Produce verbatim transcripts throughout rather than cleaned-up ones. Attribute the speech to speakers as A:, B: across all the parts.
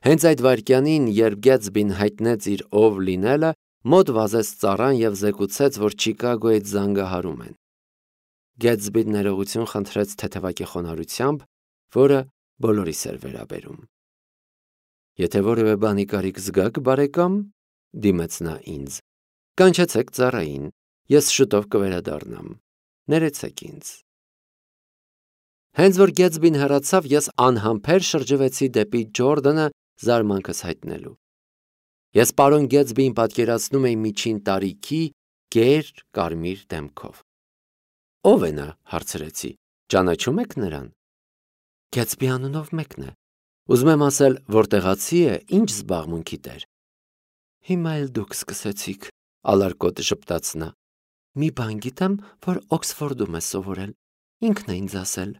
A: Հենց այդ վայրկյանին, երբ Գեթսբին հայտնեց իր ով լինելը, մոտ վազեց ծառան և զեկուցեց, որ Չիկագոյից զանգահարում են։ Գեթսբին ներողություն խնդրեց թեթևակի խոնարհությամբ, որը բոլորիս էր վերաբերում։ Եթե որևէ բանի կարիք զգաք, բարեկամ, դիմեց նա ինձ, կանչեցեք ծառային, ես շուտով կվերադառնամ, ներեցեք ինձ։ Հենց որ Գեթսբին հեռացավ, ես անհամբեր շրջվեցի դեպի Ջորդանը զարմանքս հայտնելու։ Ես պարոն Գեթսբիին պատկերացնում էի միջին տարիքի, գեր, կարմիր դեմքով։ Ո՞վ է նա, հարցրեցի, ճանաչում եք նրան։ Գեթսբի անունով մեկն է։ Ուզում եմ ասել, որ տեղացի է, ինչ զբաղմունքի տեր։ Հիմա էլ դուք սկսեցիք, ալարկոտ ժպտաց նա։ Մի բան գիտեմ, որ Օքսֆորդում է սովորել, ինքն է ինձ ասել։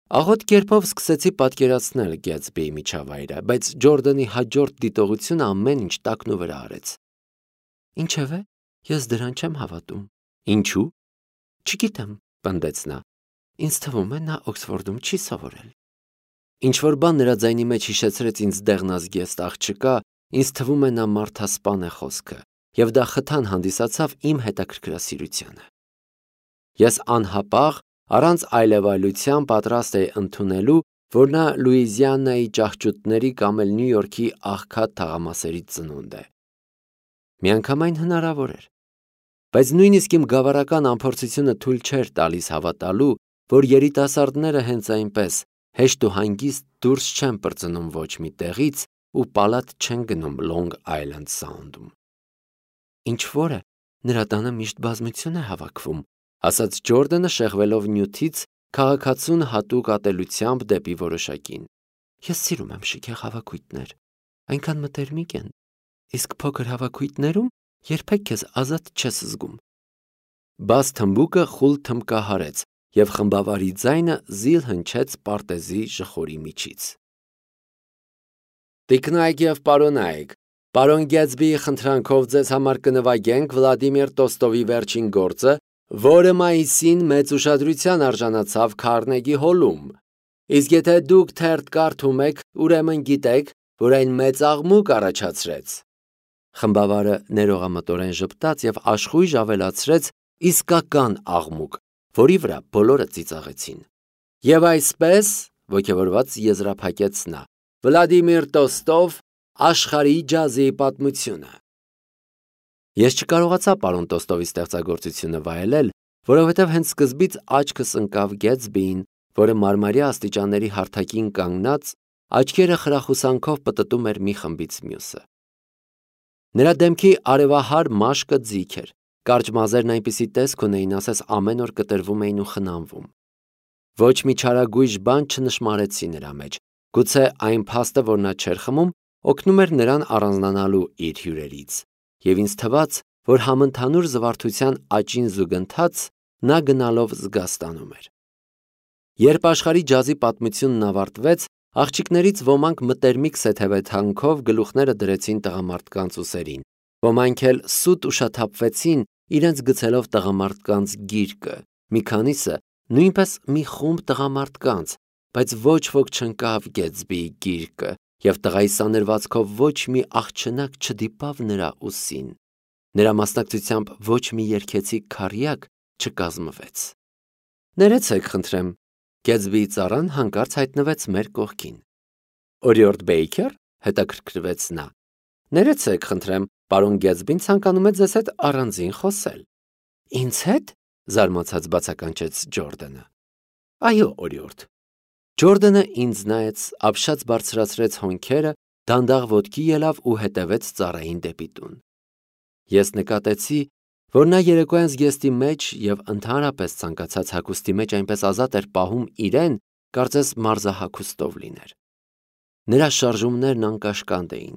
A: Աղոտ կերպով սկսեցի պատկերացնել Գեթսբիի միջավայրը, բայց Ջորդանի հաջորդ դիտողությունը ամեն ինչ տակնու վրա արեց։ Ինչևէ, ես դրան չեմ հավատում։ Ինչու՞։ Չգիտեմ, պնդեց նա։ Ինձ թվում է, նա Օքսֆորդում չի սովորել։ Ինչ-որ բան նրա ձայնի մեջ հիշեցրեց ինձ դեղնազգեստ աղջկա, ինձ թվում է նա մարդասպան է խոսքը, և դա խթան հանդիսացավ իմ հետաքրքրասիրությանը։ Ես անհապաղ, առանց այլևայլության պատրաստ էի ընդունելու, որ նա Լուիզիանայի ճահճուտների կամ էլ Նյու Յորքի աղքատ թաղամասերից ծնունդ է։ Միանգամայն հնարավոր էր։ Բայց նույնիսկ իմ գավառական անփորձությունը թույլ չէր տալիս հավատալու, որ երիտասարդները հենց այնպես հեշտ ու հանգիստ դուրս չեն պրծնում ոչ մի տեղից ու պալատ չեն գնում Լոնգ Այլենդ Սաունդում։ Ինչ-որ է, նրա տանը միշտ բազմություն է հավաքվում, ասաց Ջորդանը, շեղվելով նյութից, քաղաքացուն հատուկ ատելությամբ դեպի որոշակին։ Ես սիրում եմ շքեղ հավաքույթներ, այնքան մտերմիկ են, իսկ փոքր հավաքույթներում երբեք քեզ ազատ չես զգում։ Բաց թմբուկը խուլ թմբկահարեց, և խմբավարի ձայնը զիլ հնչեց պարտեզի ժխորի միջից։ Տիկնայք և պարոնայք, պարոն Գեթսբիի խնդրանքով ձեզ համար կնվագենք Վլադիմիր Տոստովի վերջին գործը, որը մայիսին մեծ ուշադրության արժանացավ Քարնեգի հոլում։ Իսկ եթե դուք թերթ կարդում եք, ուրեմն գիտեք, որ այն մեծ աղմուկ առաջացրեց։ Խմբավարը ներողամտորեն ժպտաց և աշխույժ ավելացրեց իսկական աղմուկ, որի վրա բոլորը ծիծաղեցին։ Եվ այսպես, ոգևորված եզրափակեց նա, Վլադիմիր Տոստով, աշխարհի ջազի պատմությունը։ Ես չկարողացա պարոն Տոստովի ստեղծագործությունը վայելել, որովհետև հենց սկզբից աչքս ընկավ Գեթսբիին, որը մարմարյա աստիճանների հարթակին կանգնած, աչքերը խրախուսանքով պտտում էր մի խմբից մյուսը։ Նրա դեմքի արևահար մաշկը ձիգ էր, կարճ մազերն այնպիսի տեսք ունեին, ասես ամեն օր կտրվում էին ու խնամվում։ Ոչ մի չարագույժ բան չնշմարեցի նրա մեջ, գուցե այն փաստը, որ նա չէր խմում, օգնում էր նրան առանձնանալու իր հյուրերից, և ինձ թվաց, որ համընդհանուր զվարթության աճին զուգընթաց նա գնալով զգաստանում էր։ Երբ աշխարհի ջազի պատմությունն ավարտվեց, աղջիկներից ոմանք մտերմիկ սեթևեթանքով գլուխները դրեցին տղամարդկանց ուսերին, ոմանք էլ սուտ ուշաթափվեցին, իրենց գցելով տղամարդկանց գիրկը, մի քանիսը նույնպես մի խումբ տղամարդկանց, բայց ոչ ոք չընկավ Գեթսբիի գիրկը, և տղայի սանրվածքով ոչ մի աղջնակ չդիպավ նրա ուսին։ Նրա մասնակցությամբ ոչ մի երգեցիկ քառյակ չկազմվեց։ Ներեցեք, խնդրեմ, Գեթսբիի ծառան հանկարծ հայտնվեց մեր կողքին։ Օրիորդ Բեյքեր, հետաքրքրվեց նա։ Ներեցեք, խնդրեմ, պարոն Գեթսբին ցանկանում է ձեզ հետ առանձին խոսել։ Ինձ հետ, զարմացած բացականչեց Ջորդանը։ Այո, օրիորդ։ Ջորդանը ինձ նայեց, ապշած բարձրացրեց հոնքերը, դանդաղ ոտքի ելավ ու հետևեց ծառային դեպի տուն։ Ես նկատեցի, որ նա երեկոյան զգեստի մեջ և ընդհանրապես ցանկացած հագուստի մեջ այնպես ազատ էր պահում իրեն, կարծես մարզահագուստով լիներ։ Նրա շարժումներն անկաշկանդ էին,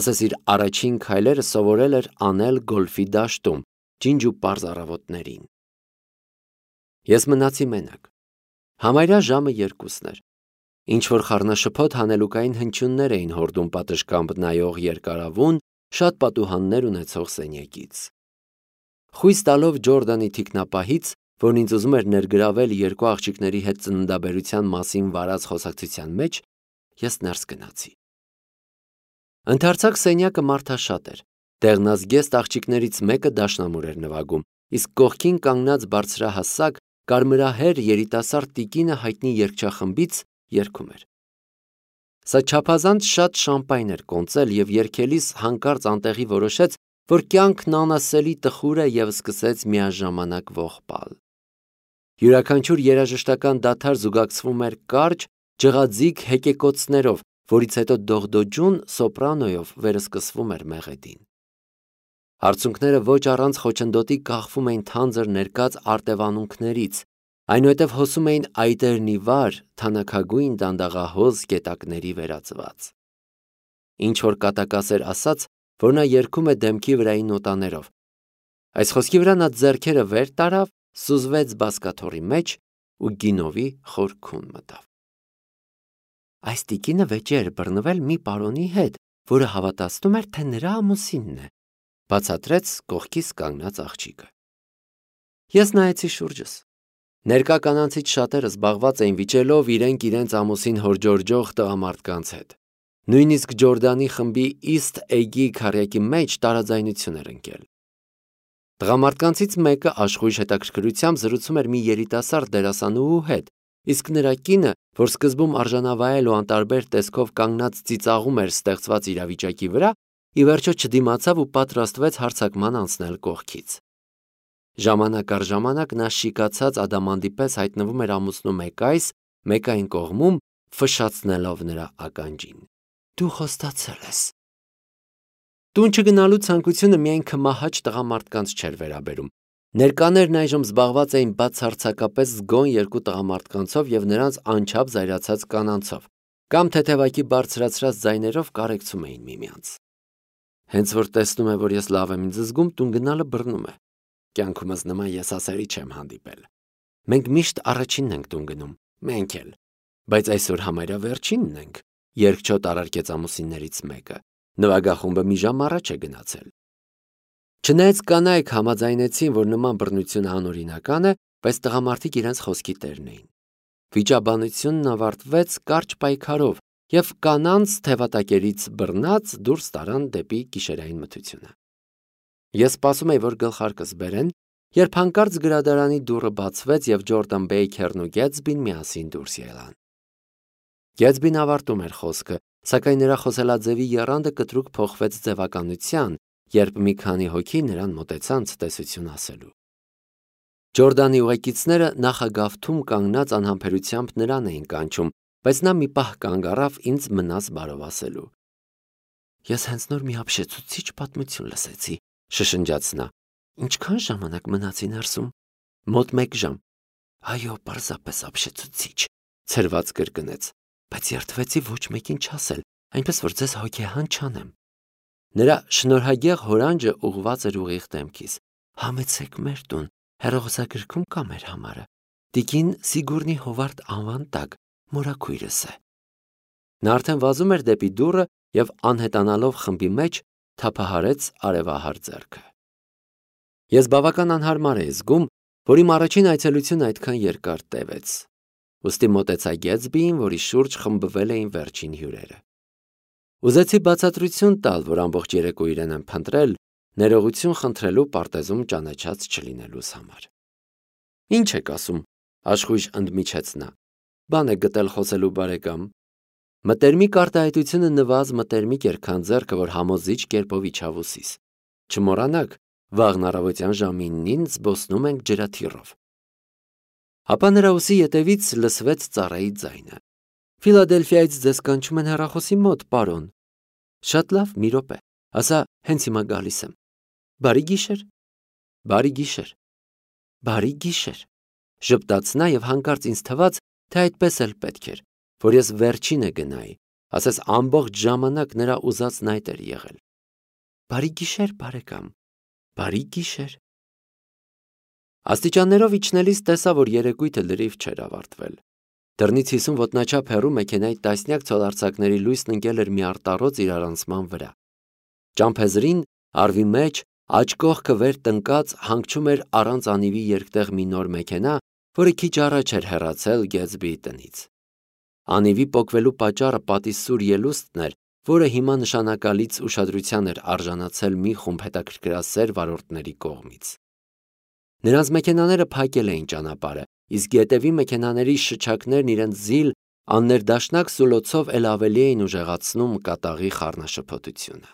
A: ասես իր առաջին քայլերը սովորել էր անել գոլֆի դաշտում, ջինջ ու պարզ առավոտներին։ Ես մնացի մենակ։ Համարյա ժամը երկուսն էր։ Ինչ-որ խառնաշփոթ հանելուկային հնչյուններ էին հորդում պատշգամբ նայող երկարավուն, շատ պատուհաններ ունեցող սենյակից։ Խույս տալով Ջորդանի թիկնապահից, որն ինձ ուզում էր ներգրավել երկու աղջիկների հետ ծննդաբերության մասին վարած խոսակցության մեջ, ես ներս գնացի։ Ընդարձակ սենյակը մարդաշատ էր։ Դեղնազգեստ աղջիկներից մեկը դաշնամուր էր նվագում, իսկ կողքին կանգնած բարձրահասակ կարմրահեր երիտասարդ տիկինը հայտնի երգչախմբից երգում էր։ Սա չափազանց շատ շամպայն էր կոնծել և երգելիս հանկարծ անտեղի որոշեց, որ կյանքն անասելի տխուր է և սկսեց միաժամանակ ողբալ։ Յուրաքանչյուր երաժշտական դադար զուգակցվում էր կարճ, ջղաձիգ հեկեկոցներով, որից հետո դողդոջուն սոպրանոյով վերսկսվում էր մեղեդին։ Արցունքները ոչ առանց խոչընդոտի կախվում էին թանձր ներկած արտևանունքներից, այնուհետև հոսում էին այտերնի վար, թանաքագույն դանդաղահոզ կետակների վերածված։ Ինչ-որ կատակասեր ասաց, որ նա երգում է դեմքի վրայի նոտաներով։ Այս խոսքի վրա նա ձեռքերը վեր տարավ, սուզվեց բազկաթոռի մեջ ու գինովի խորքուն մտավ։ Այս տիկինը վեճի էր բռնվել մի պարոնի հետ, որը հավատացնում էր, թե նրա ամուսինն է, բացատրեց կողքից կանգնած աղջիկը։ Ես նայեցի շուրջս։ Ներկա կանանցից շատերը զբաղված էին վիճելով իրենք իրենց ամուսին հորջորջող տղամարդկանց հետ։ Նույնիսկ Ջորդանի խմբի East Egg-ի քառյակի մեջ տարաձայնություն էր ընկել։ Տղամարդկանցից մեկը աշխույժ հետաքրքրությամբ զրուցում էր մի երիտասարդ դերասանուհու հետ, իսկ նրա կինը, որ սկզբում արժանավայել ու անտարբեր տեսքով կանգնած ծիծաղում էր ստեղծված իրավիճակի վրա, ի վերջո չդիմացավ ու պատրաստվեց հարձակման անցնել կողքից։ Ժամանակ առ ժամանակ նա շիկացած ադամանդի պես հայտնվում էր ամուսնու մեկ այս, մեկ այն կողմում, ֆշացնելով նրա ականջին։ Դու խոստացել ես։ Տուն չգնալու ցանկությունը միայն քմահաճ տղամարդկանց չէր վերաբերում։ Ներկաներն այժմ զբաղված էին բացարձակապես զգոն երկու տղամարդկանցով և նրանց անչափ զայրացած կանանցով, կամ թեթևակի բարձրացրած ձայներով կարեկցում էին միմյանց։ Հենց որ տեսնում է, որ ես լավ եմ ինձ զգում, տուն գնալը բռնում է։ Կյանքումս նման եսասերի չեմ հանդիպել։ Մենք միշտ առաջինն ենք տուն գնում, մենք էլ, բայց այսօր համարյա վերջինն ենք, երգչոտ առարկեց ամուսիններից մեկը։ Նվագախումբը մի ժամ առաջ է գնացել։ Չնայած կանայք համաձայնեցին, որ նման բռնությունը անօրինական է, բայց տղամարդիկ իրենց խոսքի տերն էին։ Վիճաբանությունն ավարտվեց կարճ պայքարով, և կանանց թևատակերից բռնած դուրս տարան դեպի գիշերային մթությունը։ Ես սպասում էի, որ գլխարկս բերեն, երբ հանկարծ գրադարանի դուռը բացվեց և Ջորդան Բեյքերն ու Գեթսբին միասին դուրս ելան։ Գեթսբին ավարտում էր խոսքը, սակայն նրա խոսելաձևի եռանդը կտրուկ փոխվեց ձևականության, երբ մի քանի հոգի նրան մոտեցան ցտեսություն ասելու։ Ջորդանի ուղեկիցները նախագավթում կանգնած անհամբերությամբ նրան էին կանչում, բայց նա մի պահ կանգ առավ ինձ մնաս բարով ասելու։ Ես հենց նոր մի ապշեցուցիչ պատմություն լսեցի, շշնջաց նա։ Ինչքան ժամանակ մնացի ներսում։ Մոտ մեկ ժամ։ Այո, պարզապես ապշեցուցիչ, ցրված կրկնեց, բայց երդվեցի ոչ մեկին չասել, այնպես որ ձեզ հոգեհան չանեմ։ Նրա շնորհագեղ հորանջը ուղղված էր ուղիղ դեմքիս։ Համեցեք մեր տուն, հեռախոսագրքում կա մեր համարը։ Տիկին Սիգուրնի Հովարդ անվան տակ, մորաքույրս է։ Նա արդեն վազում էր դեպի դուռը և անհետանալով խմբի մեջ թափահարեց արևահար ձեռքը։ Ես բավական անհարմար էի զգում, որ իմ առաջին այցելությունը այդքան երկար տևեց։ Ուստի մոտեցա Գեթսբիին, որի շուրջ խմբվել էին վերջին հյուրերը։ Ուզեցի բացատրություն տալ, որ ամբողջ երեկո իրեն եմ փնտրել, ներողություն խնդրելու պարտեզում ճանաչած չլինելուս համար։ Ինչ եք ասում, աշխույժ ընդմիջեց նա։ Բան է գտել խոսելու բարեկամ։ Մտերմիկ արտահայտությունը նվազ մտերմիկ էր, քան ձեռքը, որ համոզիչ կերպով իջավ ուսիս։ Չմոռանաք, վաղն առավոտյան ժամի ինին զբոսնում ենք ջրաթիռով։ Ապա նրա ուսի ետևից լսվեց ծառայի ձայնը։ Ֆիլադելֆիայից ձեզ կանչում են հեռախոսի մոտ, պարոն։ Շատ լավ, մի րոպե, ասա հենց հիմա գալիս եմ։ Բարի գիշեր։ Բարի գիշեր։ Բարի գիշեր։ Ժպտաց նա և հանկարծ ինձ թվաց, թե այդպես էլ պետք էր, որ ես վերջինը գնայի, ասես ամբողջ ժամանակ նրա ուզածն այդ էր եղել։ Բարի գիշեր, բարեկամ։ Բարի գիշեր։ Աստիճաններով իջնելիս տեսա, որ երեկույթը լրիվ չէր ավարտվել։ Դռնից հիսուն ոտնաչափ հեռու մեքենայի տասնյակ ցոլարձակների լույսն ընկել էր մի արտառոց իրարանցման վրա։ Ճամփեզրին, արվի մեջ, աջ կողքը վեր տնկած հանգչում էր առանց անիվի երկտեղ մի նոր մեքենա, որը քիչ առաջ էր հեռացել Գեթսբիի տնից։ Անիվի պոկվելու պատճառը պատի սուր ելուստն էր, որը հիմա նշանակալից ուշադրության էր արժանացել մի խումբ հետաքրքրասեր վարորդների կողմից։ Նրանց մեքենաները փակել էին ճանապարհը, իսկ գետևի մեքենաների շչակներն իրենց զիլ, աններդաշնակ սուլոցով էլ ավելի էին ուժեղացնում կատաղի խառնաշփոթությունը։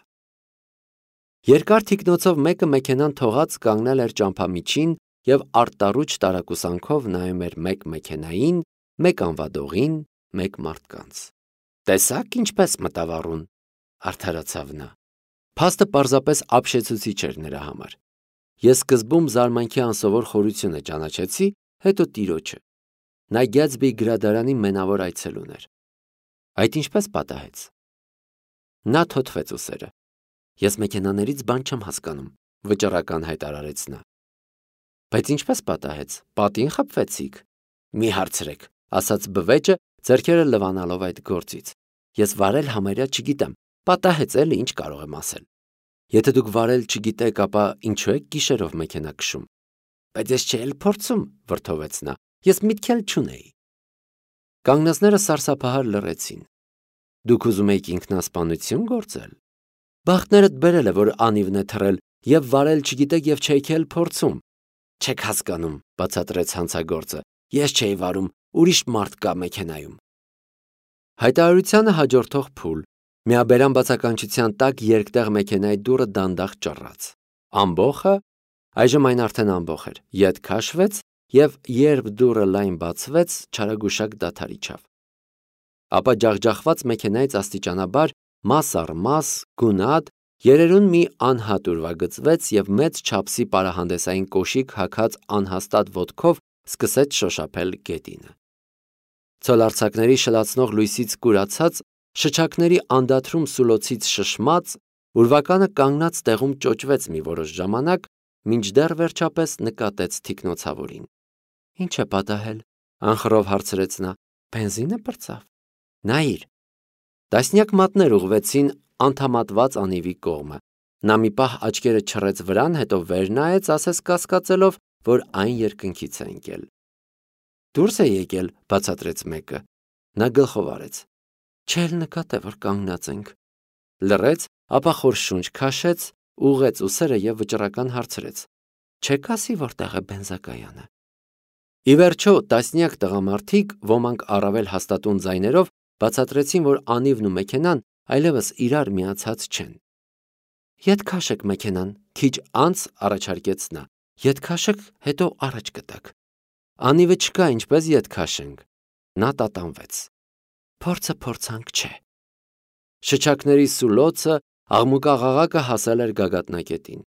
A: Երկար թիկնոցով մեկը մեքենան թողած կանգնել էր ճամփամիջին և արտառուչ տարակուսանքով նայում էր մեկ մեքենային, մեկ անվադողին, մեկ մարդկանց։ Տեսա՞ք ինչպես մտավ առուն, արդարացավ նա։ Փաստը պարզապես ապշեցուցիչ էր նրա համար։ Ես սկզբում զարմանքի անսովոր խորությունը ճանաչեցի, հետո տիրոջը։ Նա Գյաթսբիի գրադարանի մենավոր այցելուն էր։ Այդ ինչպես պատահեց։ Նա թոթվեց ուսերը։ Ես մեքենաներից բան չեմ հասկանում, վճռական հայտարարեց նա։ Բայց ինչպես պատահեց, պատին խփվեցիք։ Մի հարցրեք, ասաց բվեճը, ձեռքերը լվանալով այդ գործից։ Ես վարել համարյա չգիտեմ, պատահեց էլի, ինչ կարող եմ ասել։ Եթե դուք վարել չգիտեք, ապա ինչու եք գիշերով մեքենա քշում։ Բայց ես չէի էլ փորձում, վրդովեց նա։ Ես միտք էլ չունեի։ Կանգնածները սարսափահար լռեցին։ Դուք ուզում եք ինքնասպանություն գործել։ Բախտներդ բերել է, որ անիվն է թռել, եւ վարել չգիտեք եւ չեք էլ փորձում։ Չեք հասկանում, բացատրեց հանցագործը։ Ես չէի վարում, ուրիշ մարդ կա մեքենայում։ Հայտարարությանը հաջորդող փուլ, միաբերան բացականչության տակ երկտեղ մեքենայի դուռը դանդաղ ճռռաց։ Ամբոխը, այժմ այն արդեն ամբոխ էր, ետ քաշվեց եւ երբ դուռը լայն բացվեց, չարագուշակ դադար իջավ։ Ապա ջախջախված մեքենայից աստիճանաբար մաս առ մաս, գունատ, երերուն մի անհատ ուրվագծվեց եւ մեծ չափսի պարահանդեսային կոշիկ հագած անհաստատ ոտքով սկսեց շոշափել գետինը։ Ցոլարձակների շլացնող լույսից կուրացած, շչակների անդադրում սուլոցից շշմած, ուրվականը կանգնած տեղում ճոճվեց մի որոշ ժամանակ, մինչդեռ վերջապես նկատեց թիկնոցավորին։ Ինչ է պատահել, անխռով հարցրեց նա։ Բենզինը պրծավ։ Նայիր։ Տասնյակ մատներ ուղղվեցին անդամատված անիվի կողմը։ Նա մի պահ աչքերը չռեց վրան, հետո վեր նայեց, ասես կասկածելով, որ այն երկնքից է ընկել։ Դուրս է եկել, բացատրեց մեկը։ Նա գլխով արեց։ Չէ՞լ նկատե, որ կանգնած ենք։ Լռեց, ապա խոր շունչ քաշեց, ուղղեց ուսերը եւ վճռական հարցրեց. Չեք ասի որտեղ է բենզակայանը։ Ի վերջո, տասնյակ տղամարդիկ, ոմանք առավել հաստատուն ձայներով, բացատրեցին, որ անիվն ու մեքենան այլևս իրար միացած չեն։ Ետ քաշեք մեքենան, քիչ անց առաջարկեց նա։ Ետ քաշեք, հետո առաջ կտակ։ Անիվը չկա, ինչպես ետ քաշենք։ Նա տատանվեց։ Փորձը փորձանք չէ։ Շչակների սուլոցը, աղմուկաղաղակը հասել էր գագաթնակետին։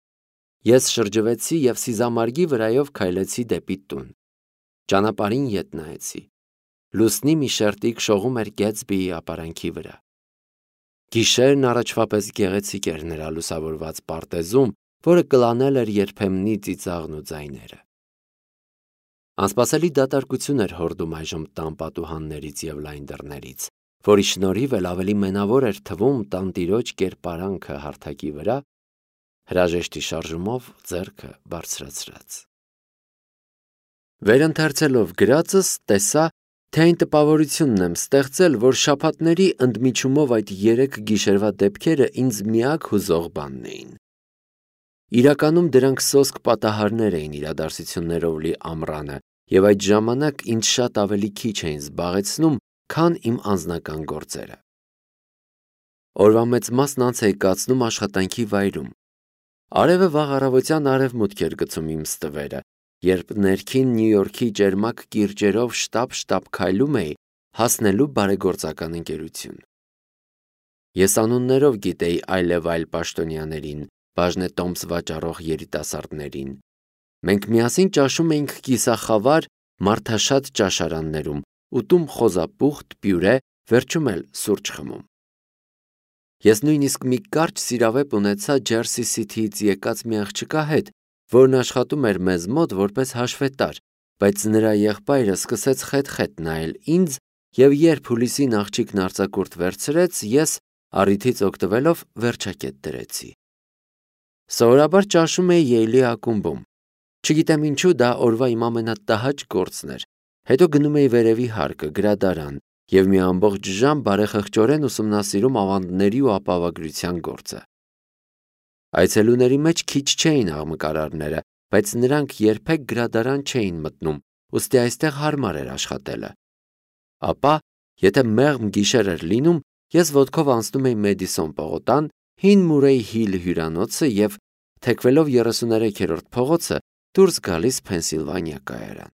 A: Ես շրջվեցի եւ սիզամարգի վրայով քայլեցի դեպի տուն։ Ճանապարհին ետ նայեցի։ Լուսնի մի շերտիկ շողում էր Գյաթսբիի ապարանքի վրա։ Գիշերն առաջվա պես գեղեցիկ էր նրա լուսավորված պարտեզում, որը կլանել էր երբեմնի ծիծաղն ու ձայները։ Անսպասելի դատարկություն էր հորդում այժմ տան պատուհաններից եւ լայն դռներից, որի շնորհիվ էլ ավելի մենավոր էր թվում տանտիրոջ կերպարանքը հարթակի վրա, հրաժեշտի շարժումով ձեռքը բարձրացրած։ Վերընթերցելով գրածս, տեսա, թե այն տպավորությունն եմ ստեղծել, որ շաբաթների ընդմիջումով այդ երեք գիշերվա դեպքերը ինձ միակ հուզող բանն էին։ Իրականում դրանք սոսկ պատահարներ էին իրադարձություններով լի ամռանը, եւ այդ ժամանակ ինձ շատ ավելի քիչ էին զբաղեցնում, քան իմ անձնական գործերը։ Օրվա մեծ մասն անց էի կացնում աշխատանքի վայրում։ Արևը վաղ առավոտյան արևմուտք էր գցում իմ ստվերը, երբ ներքին Նյու Յորքի ճերմակ կիրճերով շտապ-շտապ քայլում էի, հասնելու բարեգործական ընկերություն։ Ես անուններով գիտեի այլև այլ պաշտոնյաներին, բաժնետոմս վաճառող երիտասարդներին։ Մենք միասին ճաշում էինք կիսախավար, մարդաշատ ճաշարաններում, ուտում խոզապուխտ, պյուրե, վերջում էլ սուրճ խմում։ Ես նույնիսկ մի կարճ սիրավեպ ունեցա Ջերսի Սիթիից եկած մի աղջկա հետ, որն աշխատում էր մեզ մոտ որպես հաշվետար, բայց նրա եղբայրը սկսեց խետ-խետ նայել ինձ, եւ երբ հուլիսին աղջիկն արձակուրդ վերցրեց, ես, առիթից օգտվելով, վերջակետ դրեցի։ Սովորաբար ճաշում էի Յեյլի ակումբում։ Չգիտեմ ինչու դա օրվա իմ ամենատհաճ գործն էր։ Հետո գնում էի վերևի հարկը, գրադարան, և մի ամբողջ ժամ բարեխղճորեն ուսումնասիրում ավանդների ու ապահովագրության գործը։ Այցելուների մեջ քիչ չէին աղմկարարները, բայց նրանք երբեք գրադարան չէին մտնում, ուստի այստեղ հարմար էր աշխատելը։ Ապա, եթե մեղմ գիշեր էր լինում, ես ոտքով անցնում էի Մեդիսոն պողոտան, հին Մուրեյ Հիլ հյուրանոցը և, թեքվելով երեսուներեքերորդ փողոցը, դուրս գալիս Փենսիլվանիա կայարան։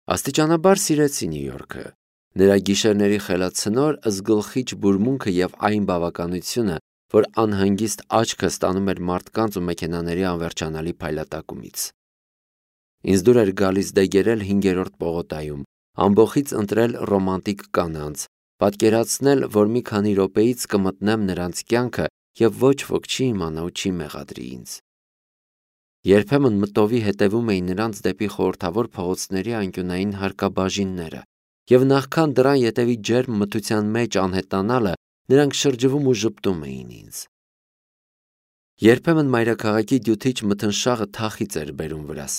A: Աստիճանաբար սիրեցի Նյու Յորքը, նրա գիշերների խելացնոր, զգլխիչ բուրմունքը և այն բավականությունը, որ անհանգիստ աչքը ստանում էր մարդկանց ու մեքենաների անվերջանալի փայլատակումից։ Ինձ դուր էր գալիս դեգերել հինգերորդ պողոտայում, ամբոխից ընտրել ռոմանտիկ կանանց, պատկերացնել, որ մի քանի րոպեից կմտնեմ նրանց կյանքը և ոչ ոք չի իմանա ու չի մեղադրի ինձ։ Երբեմն մտովի հետևում էի նրանց դեպի խորհրդավոր փողոցների անկյունային հարկաբաժինները, և նախքան դռան ետևի ջերմ մթության մեջ անհետանալը, նրանք շրջվում ու ժպտում էին ինձ։ Երբեմն մայրաքաղաքի դյութիչ մթնշաղը թախիծ էր բերում վրաս։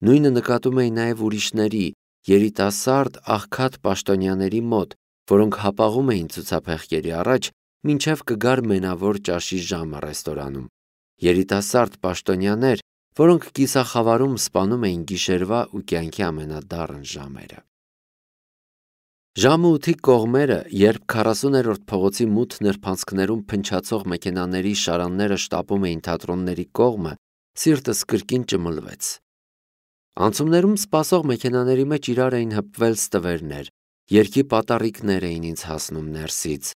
A: Նույնը նկատում էի նաև ուրիշների, երիտասարդ, աղքատ պաշտոնյաների մոտ, որոնք հապաղում էին ցուցափեղկերի առաջ, մինչև կգար մենավոր ճաշի ժամը ռեստորանում, երիտասարդ պաշտոնյաներ, որոնք կիսախավարում սպանում էին գիշերվա ու կյանքի ամենադառն ժամերը։ Ժամը ութի կողմերը, երբ քառասուներորդ փողոցի մութ նրբանցքներում փնչացող մեքենաների շարանները շտապում էին թատրոնների կողմը, սիրտս կրկին ճմլվեց։ Անցումներում սպասող մեքենաների մեջ իրար էին հպվել ստվերներ, երգի պատառիկներ էին ինձ հասնում ներսից,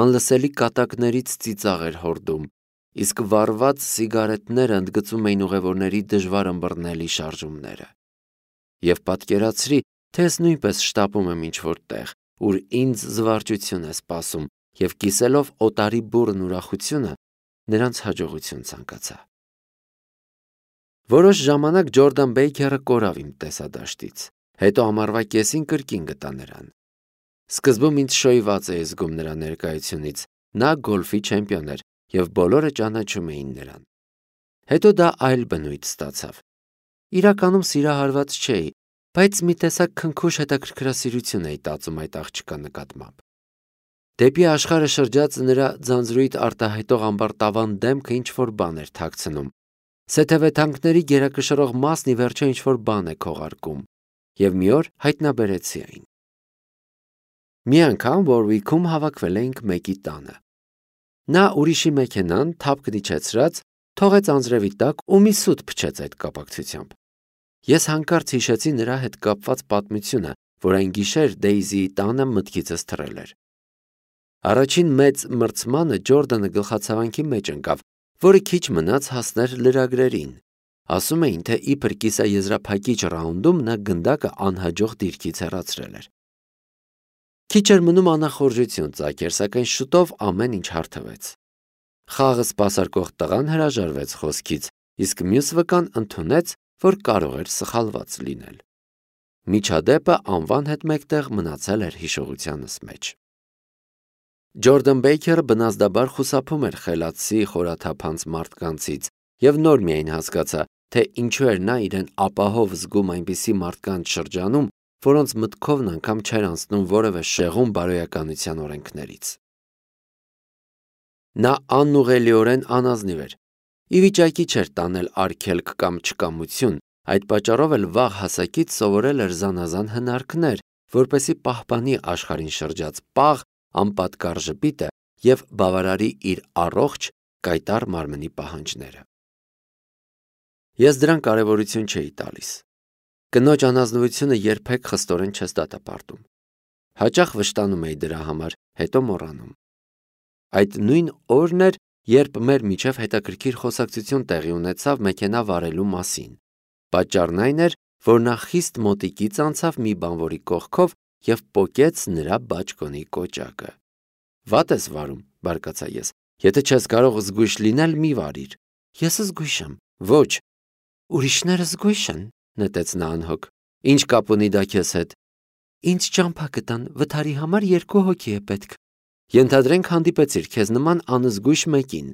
A: անլսելի կատակներից ծիծաղ էր հորդում, իսկ վառված սիգարետները ընդգծում էին ուղևորների դժվար ըմբռնելի շարժումները։ Եվ պատկերացրի, թե ես նույնպես շտապում եմ ինչ-որ տեղ, ուր ինձ զվարճություն է սպասում, և կիսելով օտարի բուռն ուրախությունը, նրանց հաջողություն ցանկացա։ Որոշ ժամանակ Ջորդան Բեյքերը կորավ իմ տեսադաշտից, հետո ամառվա կեսին կրկին գտա նրան։ Սկզբում ինձ շոյված էի զգում նրա ներկայությունից, նա գոլֆի չեմպիոն էր, և բոլորը ճանաչում էին նրան։ Հետո դա այլ բնույթ ստացավ։ Իրականում սիրահարված չէի, բայց մի տեսակ քնքուշ հետաքրքրասիրություն էի տածում այդ աղջկա նկատմամբ։ Դեպի աշխարհը շրջած նրա ձանձրույթ արտահայտող ամբարտավան դեմքը ինչ-որ բան էր թաքցնում, սեթևեթանքների գերակշռող մասն ի վերջո ինչ-որ բան է քողարկում, և մի օր հայտնաբերեցի այն։ Մի անգամ Որվիքում հավաքվել էինք մեկի տանը։ Նա ուրիշի մեքենան, թափքն իջեցրած, թողեց անձրևի տակ ու մի սուտ փչեց այդ կապակցությամբ։ Ես հանկարծ հիշեցի նրա հետ կապված պատմությունը, որ այն գիշեր Դեյզիի տանը մտքիցս թռել էր։ Առաջին մեծ մրցմանը Ջորդանը գլխացավանքի մեջ ընկավ, որը քիչ մնաց հասներ լրագրերին։ Ասում էին, թե իբր կիսաեզրափակիչ ռաունդում նա գնդակը անհաջող դիրքից հեռացրել էր։ Քիչ էր մնում անախորժություն ծագեր, սակայն շուտով ամեն ինչ հարթվեց։ Խաղը սպասարկող տղան հրաժարվեց խոսքից, իսկ մյուս վկան ընդունեց, որ կարող էր սխալված լինել։ Միջադեպը անվան հետ մեկտեղ մնացել էր հիշողությանս մեջ։ Ջորդան Բեյքերը բնազդաբար խուսափում էր խելացի, խորաթափանց մարդկանցից, և նոր միայն հասկացա, թե ինչու էր նա իրեն ապահով զգում այնպիսի մարդկանց շրջանում, որոնց մտքովն անգամ չէր անցնում որևէ շեղում բարոյականության օրենքներից։ Նա անուղղելիորեն անազնիվ էր, ի վիճակի չէր տանել արգելք կամ չկամություն, այդ պատճառով էլ վաղ հասակից սովորել էր զանազան հնարքներ, որպեսզի պահպանի աշխարհին շրջած պաղ, անպատկառ ժպիտը և բավարարի իր առողջ, կայտառ մարմնի պահանջները։ Ես դրան կարևորություն չէի տալիս։ Կնոջ անազնվությունը երբեք խստորեն չես դատապարտում։ Հաճախ վշտանում էի դրա համար, հետո մոռանում։ Այդ նույն օրն էր, երբ մեր միջև հետաքրքիր խոսակցություն տեղի ունեցավ մեքենա վարելու մասին։ Պատճառն այն էր, որ նա խիստ մոտիկից անցավ մի բանվորի կողքով և պոկեց նրա բաճկոնի կոճակը։ Վատ ես վարում, բարկացա ես, եթե չես կարող զգույշ լինել, մի վարիր։ Ես զգույշ եմ։ Ոչ։ Ուրիշները զգույշ են, նետեց նա անհոգ։ Ինչ կապ ունի դա քեզ հետ։ Ինձ ճամփա կտան, վթարի համար երկու հոգի է պետք։ Ենթադրենք հանդիպեցիր քեզ նման անզգույշ մեկին։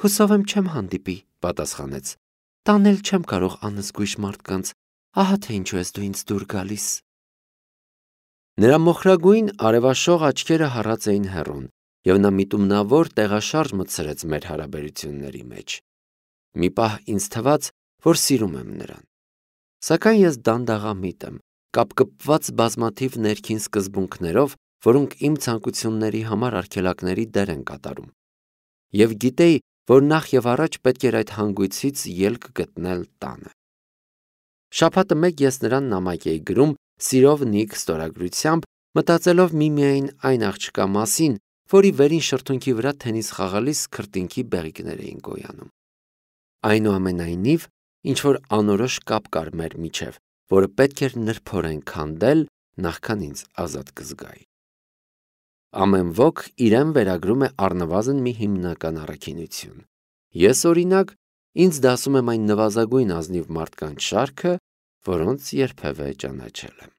A: Հուսով եմ չեմ հանդիպի, պատասխանեց։ Տանել չեմ կարող անզգույշ մարդկանց, ահա թե ինչու ես դու ինձ դուր գալիս։ Նրա մոխրագույն արևաշող աչքերը հառած էին հեռուն, և նա միտումնավոր տեղաշարժ մտցրեց մեր հարաբերությունների մեջ։ Մի պահ ինձ թվաց, որ սիրում եմ նրան։ Սակայն ես դանդաղամիտ եմ, կապկպված բազմաթիվ ներքին սկզբունքներով, որոնք իմ ցանկությունների համար արգելակների դեր են կատարում։ Եվ գիտեի, որ նախ եւ առաջ պետք էր այդ հանգույցից ելք գտնել տանը։ Շաբաթը մեկ ես նրան նամակ էի գրում սիրով Նիք ստորագրությամբ, մտածելով միմիայն այն աղջկա մասին, որի վերին շրթունքի վրա թենիս խաղալիս քրտինքի բեղիկներ էին գոյանում։ Այնուամենայնիվ, ինչ-որ անորոշ կապ կար մեր միջև, որը պետք էր նրբորեն քանդել, նախքան ինձ ազատ կզգայի։ Ամեն ոք իրեն վերագրում է առնվազն մի հիմնական առաքինություն։ Ես, օրինակ, ինձ դասում եմ այն նվազագույն ազնիվ մարդկանց շարքը, որոնց երբևէ ճանաչել եմ։